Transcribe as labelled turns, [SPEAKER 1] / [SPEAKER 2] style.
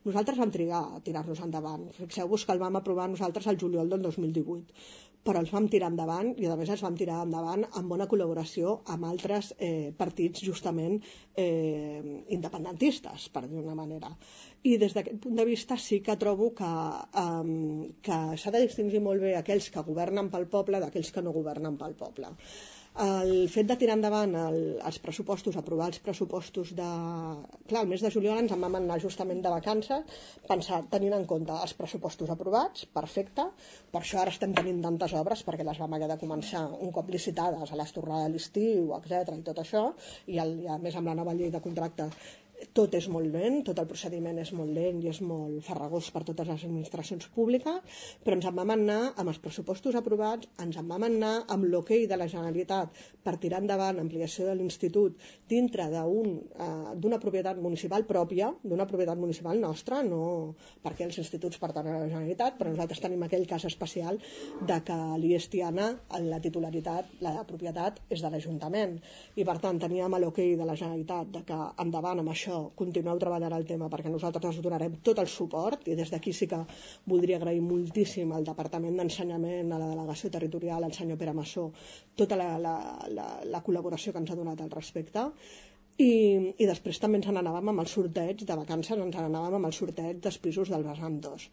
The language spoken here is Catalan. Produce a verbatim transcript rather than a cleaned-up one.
[SPEAKER 1] Nosaltres vam trigar a tirar-nos endavant. Fixeu-vos que el vam aprovar nosaltres al juliol del dos mil divuit, però els vam tirar endavant i a més els vam tirar endavant amb bona col·laboració amb altres eh, partits justament eh, independentistes, per dir d'una manera. I des d'aquest punt de vista sí que trobo que, eh, que s'ha de distingir molt bé aquells que governen pel poble d'aquells que no governen pel poble. El fet de tirar endavant el, els pressupostos, aprovar els pressupostos de... Clar, el mes de juliol ens en vam anar justament de vacances, pensar, tenint en compte els pressupostos aprovats, perfecte, per això ara estem tenint tantes obres, perquè les vam haver de començar un cop licitades a l'estornada de l'estiu, etcètera i tot això, i, el, i a més amb la nova llei de contracte tot és molt lent, tot el procediment és molt lent i és molt farragós per totes les administracions públiques, però ens en vam anar amb els pressupostos aprovats, ens en vam anar amb l'hoquei de la Generalitat per tirar endavant l'ampliació de l'institut dintre d'una un, eh, propietat municipal pròpia, d'una propietat municipal nostra, no perquè els instituts pertanyen a la Generalitat, però nosaltres tenim aquell cas especial de que l'I E S Tiana, la titularitat, la propietat és de l'Ajuntament, i per tant teníem l'hoquei de la Generalitat de que endavant amb això continueu treballant el tema perquè nosaltres us donarem tot el suport, i des d'aquí sí que voldria agrair moltíssim al Departament d'Ensenyament, a la Delegació Territorial, al senyor Pere Massó, tota la, la, la, la col·laboració que ens ha donat al respecte. I, i després també ens n'anàvem amb el sorteig de vacances, ens n'anàvem amb el sorteig dels pisos del vessant dos.